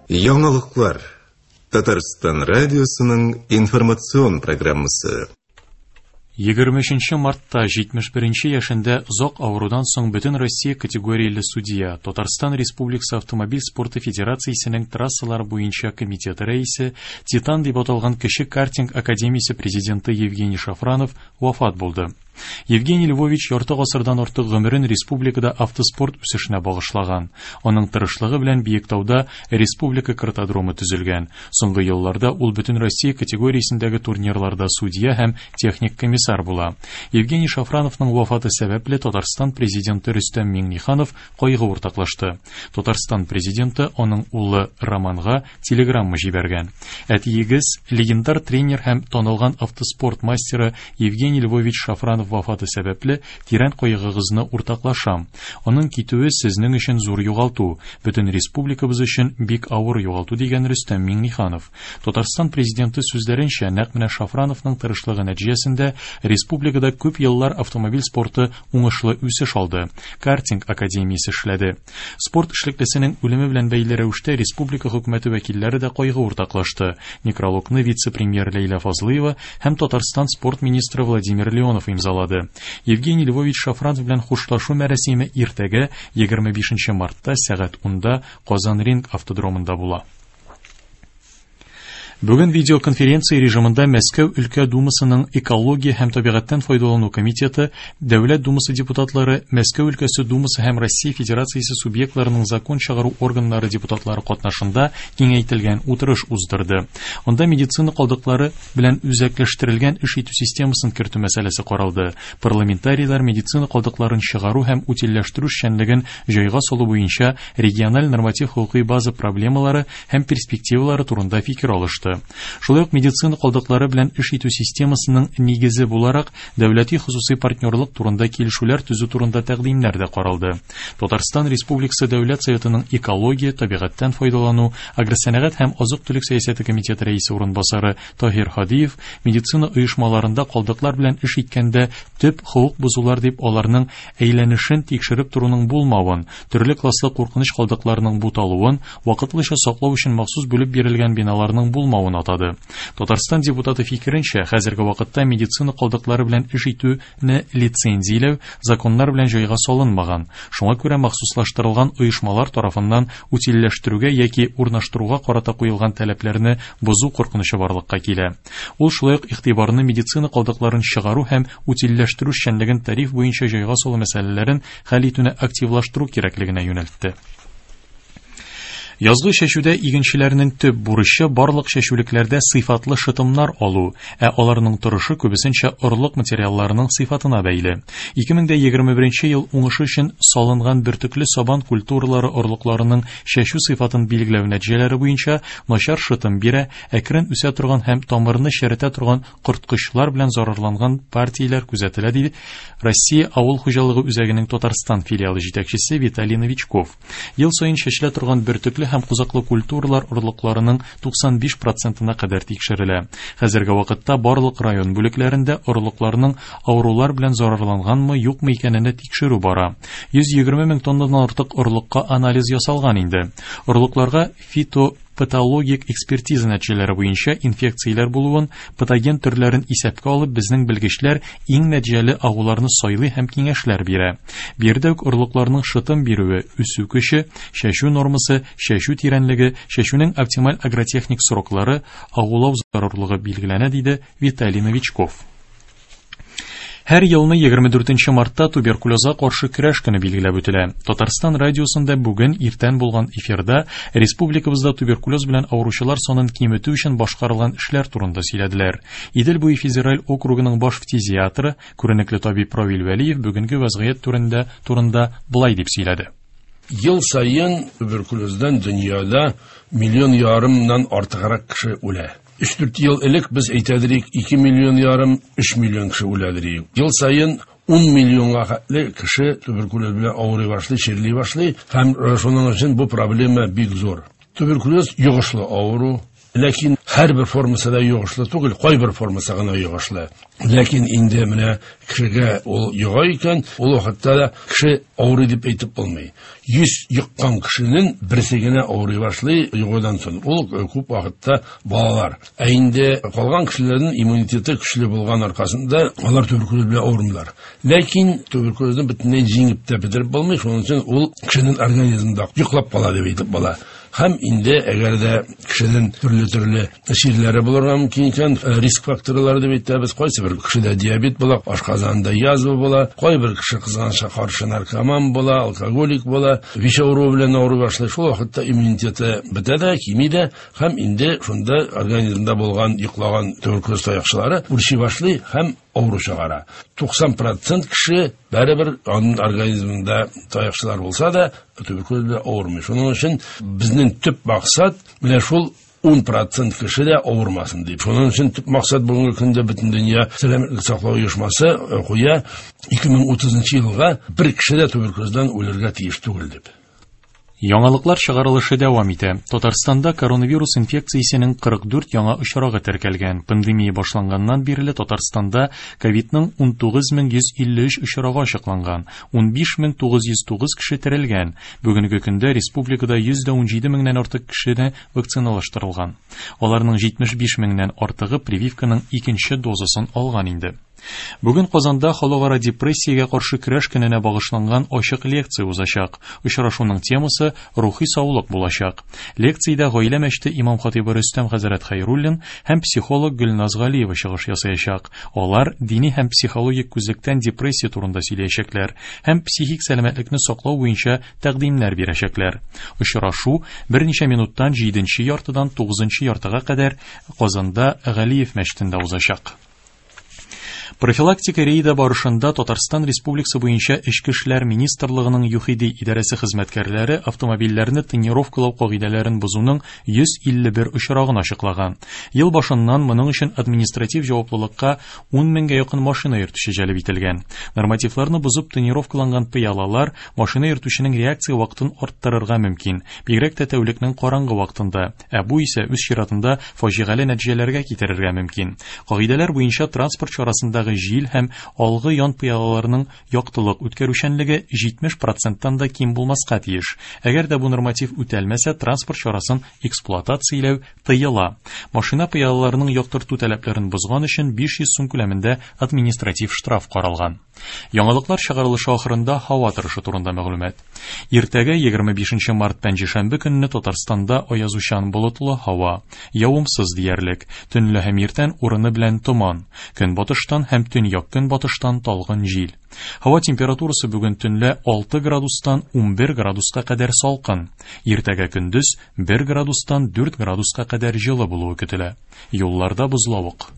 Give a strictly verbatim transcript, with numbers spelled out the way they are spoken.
Яңалыклар. Татарстан радиосының информацион программасы. Егерме өченче мартта җитмеш беренче яшендә озак авырудан соң бөтен Россия категорияле судья, Татарстан Республикасы Автомобиль спорты Федерациясенең трассалар буенча комитеты рәисе, Титан дип аталган кече картинг академиясе президенты Евгений Шафранов вафат булды. Евгений Львович ярты гасырдан артык гомерен республикада автоспорт үсешенә багышлаган. Аның тырышлыгы белән Биектауда республика картодромы төзелгән. Соңгы елларда ул бөтен Россия категориясендәге турнирларда судья һәм техник комиссар була. Евгений Шафрановның вафаты сәбәпле Татарстан президенты Рөстәм Миңнеханов кайгы уртаклашты. Татарстан президенты аның улы Романга телеграмма җибәргән. Әтиегез легендар тренер һәм танылган автоспорт мастеры Евгений Львович Шафранов вафаты сәбәпле тирән кайгыгызны уртаклашам. Аның китүе сезнең өчен зур югалту, бөтен республикабыз өчен бик авыр югалту дигән Рөстәм Миңнеханов. Татарстан президенты сүзләренчә, нәкъ менә Шафрановның тырышлыгы нәтиҗәсендә республикада күп еллар автомобиль спорты уңышлы үсеш алды. Картинг академиясе эшләде. Спорт эшлеклесенең үлеме белән бәйле рәвештә республика хөкүмәте вәкилләре дә кайгы уртаклашты. Некрологны вице-премьер Ләйлә Фазлыева һәм Татарстан спорт министры Владимир Леонов имзалады. Евгений Львович Шафранов белән хушлашу мәрасиме иртәгә егерме бишенче мартта сәгать унда Казан Ринг автодромында була. Бүген видеоконференция режимында Мәскәү өлкә Думасының экология һәм табигатьтән файдалану комитеты, Дәүләт Думасы депутатлары, Мәскәү өлкәсе Думасы һәм Россия Федерациясе субъектларының закон чыгару органнары депутатлары катнашында киңәйтелгән утырыш уздырды. Анда медицина калдыклары белән үзәкләштерелгән эш итү системасын кертү мәсьәләсе каралды. Парламентарийлар медицина калдыкларын чыгару һәм утильләштерү эшчәнлеген җайга салу буенча региональ норматив хокукый база проблемалары һәм перспективалары турында фикер алышты. Шулай ук медицина калдыклары белән эш итү системасының нигезе буларак дәүләти хосусый партнерлык турында килешүләр төзү турында тәкъдимнәр дә каралды. Татарстан Республикасы Дәүләт Советының экология, табигатьтән файдалану, агросәнәгать һәм азык-төлек сәясәте комитеты рәисе урынбасары Таһир Һадиев медицина оешмаларында калдыклар белән эш иткәндә төп хокук бозулар дип аларның әйләнешен тикшереп торуның булмавын, төрле класслы куркыныч калдыкларның буталуын, вакытлыча саклау өчен махсус бүлеп бирелгән биналарның булмавын атады. Татарстан депутаты фикеренчә, хәзерге вакытта медицина калдыклары белән эш итүне лицензияләү законнар белән җайга салынмаган. Шуңа күрә махсуслаштырылган оешмалар тарафыннан утильләштерүгә яки урнаштыруга карата куелган таләпләрне бозу куркынычы барлыкка килә. Ул шулай ук игътибарны медицина калдыкларын чыгару һәм утильләштерү эшчәнлеген тариф буенча җайга салу мәсьәләләрен хәл итүне активлаштыру кирәклегенә юнәлтте. Язгы чәчүдә игенчеләрнең төп бурычы барлык чәчүлекләрдә сыйфатлы шытымнар алу, ә аларның торышы күбесенчә орлык материалларының сыйфатына бәйле. ике мең дә егерме беренче ел уңышы өчен салынган бөртекле сабан культуралары орлыкларының чәчү сыйфатын билгеләү нәтиҗәләре буенча начар шытым бирә, әкрен үсә торган һәм тамырны черетә торган корткычлар белән зарарланган партияләр күзәтелә, диде Россия авыл хуҗалыгы үзәгенең Татарстан филиалы җитәкчесе Виталий Новичков. Ел саен чәчелә торган бөртекле һәм кузаклы культуралар орлыкларының туксан биш процентына кадәр тикшерелә. Хәзерге вакытта барлык район бүлекләрендә орлыкларның авырулар белән зарарланганмы, юкмы икәнен тикшерү бара. Йөз егерме мең тоннадан артык орлыкка анализ ясалган инде. Орлыкларга фито патологик экспертиза нәтиҗәләре буенча инфекцияләр булуын, патоген төрләрен исәпкә алып, безнең белгечләр иң нәтиҗәле агуларны сайлый һәм киңәшләр бирә. Биредә үк орлыкларның шытым бирүе, үсү көче, чәчү нормасы, чәчү тирәнлеге, чәчүнең оптималь агротехник сроклары, агулау зарурлыгы билгеләнә, диде Виталий Новичков. Һәр елны егерме дүртенче мартта туберкулезга каршы көрәш көне билгеләп үтелә. Татарстан радиосында бүген иртән булган эфирда республикабызда туберкулез белән авыручылар санын киметү өчен башкарылган эшләр турында сөйләделәр. Идел буе федераль округының баш фтизиатры, күренекле табиб Равил Вәлиев бүгенге вазгыять турында, турында былай дип сөйләде. Ел саен туберкулездан дөньяда миллион ярымнан артыграк кеше үлә. Өч-дүрт ел элек без әйтәдерик, ике миллион ярым, өч миллион кеше үләдерик. Ел саен ун миллионга хәтле кеше туберкулез белән авырый башлый, чирли башлый, һәм шуның өчен бу проблема бик зур. Туберкулез йогышлы авыру, Ләкин һәрбер формасы да йогышлы түгел, кайбер формасы гына йогышлы. Ләкин инде менә кешегә ул йога икән, ул вакытта да кеше авырый дип әйтеп булмый. Йөз йоккан кешенең берсе генә авырый башлый йогудан соң. Ул күп вакытта балалар. Ә инде калган кешеләрнең иммунитеты көчле булган аркасында алар туберкулез белән авырмыйлар. Ләкин туберкулезны бөтенләй җиңеп тә бетереп булмый, шуның өчен ул кешенең организмында йоклап кала дип әйтеп була. Һәм инде әгәр дә кешенең төрле-төрле чирләре булырга мөмкин икән, риск факторлары дип әйтәбез, кайсы бер кешедә диабет була, ашказанында язва була, кайбер кеше кызганычка каршы наркоман була, алкоголик була, ВИЧ авыруы белән авырый башлый. Шул вакытта иммунитеты бетә дә, кими дә, һәм инде шунда организмда булган йоклаган туберкулез таякчылары үрчи башлый һәм авыру чыгара. туксан процент кеше бәрібір аның организмында таякчылар булса да туберкулез белән авырмый. Шуның өчен безнең төп максат менә шул ун процент кеше дә авырмасын дип. Шуның өчен төп максат бүгенге көндә бөтен дөнья сәламәтлек саклау оешмасы куя ике мең утызынчы елга бер кеше дә туберкулездан үлергә тиеш түгел дип. Яңалыклар чыгарылышы дәвам итә. Татарстанда коронавирус инфекциясенең кырык дүрт яңа очрагы теркәлгән. Пандемия башланганнан бирле Татарстанда ковидның ун тугыз мең йөз илле өч очрагы ачыкланган. ун биш мең тугыз йөз тугыз кеше терелгән. Бүгенге көндә республикада йөз дә унҗиде меңнән артык кешене вакциналаштырылган. Аларның җитмеш биш меңнән артыгы прививканың икенче дозасын алган инде. Бүген Казанда халыкара депрессиягә каршы көрәш көненә багышланган ачык лекция узачак. Очрашуның темасы рухи саулык булачак. Лекциядә гаилә мәчете имам хатибы Рөстәм хәзрәт Хәйруллин һәм психолог Гөлназ Галиева чыгыш ясаячак. Алар дини һәм психологик күзлектән депрессия турында сөйләячәкләр һәм психик сәламәтлекне саклау буенча тәкъдимнәр бирәчәкләр. Очрашу берничә минуттан җиденче яртыдан тугызынчы яртыга кадәр Казанда Галиев мәчетендә узачак. Профилактика рейды барышында Татарстан Республикасы буенча Эчке эшләр министрлыгының ЮХИДИ идарәсе хезмәткәрләре автомобильләрне тонировкалау кагыйдәләрен бозуның йөз илле бер очрагын ачыклаган. Ел башыннан моның өчен административ җаваплылыкка ун меңгә якын машина йөртүче җәлеп ителгән. Нормативларны бозып тонировкаланган пыялалар машина йөртүченең реакция вакытын арттырырга мөмкин, бигрәк тә тәүлекнең караңгы вакытында. Ә бу исә үз чиратында фаҗигале нәтиҗәләргә китерергә мөмкин. Кагыйдәләр буенча транспорт чарасында җил һәм алгы ян пыялаларының яктылык үткәрүчәнлеге җитмеш проценттан да ким булмаска тиеш. Әгәр дә бу норматив үтәлмәсә, транспорт чарасын эксплуатацияләү тыела. Машина пыялаларының яктырту таләпләрен бозган өчен биш йөз сум күләмендә административ штраф каралган. Яңалыклар чыгарылышы ахырында һава торышы турында мәгълүмат. Иртәгә егерме бишенче март пәнҗешәмбе көнне Татарстанда аязучан болытлы һава, явымсыз диярлек, төнлә һәм иртән урыны белән томан, көнбатыштан һәм төньяк көнбатыштан талгын җил. Һава температурасы бүген төнлә алты градустан унбер градуска кадәр салкын. Иртәгә көндез бер градустан дүрт градуска кадәр җылы булуы көтелә. Юлларда бозлавык.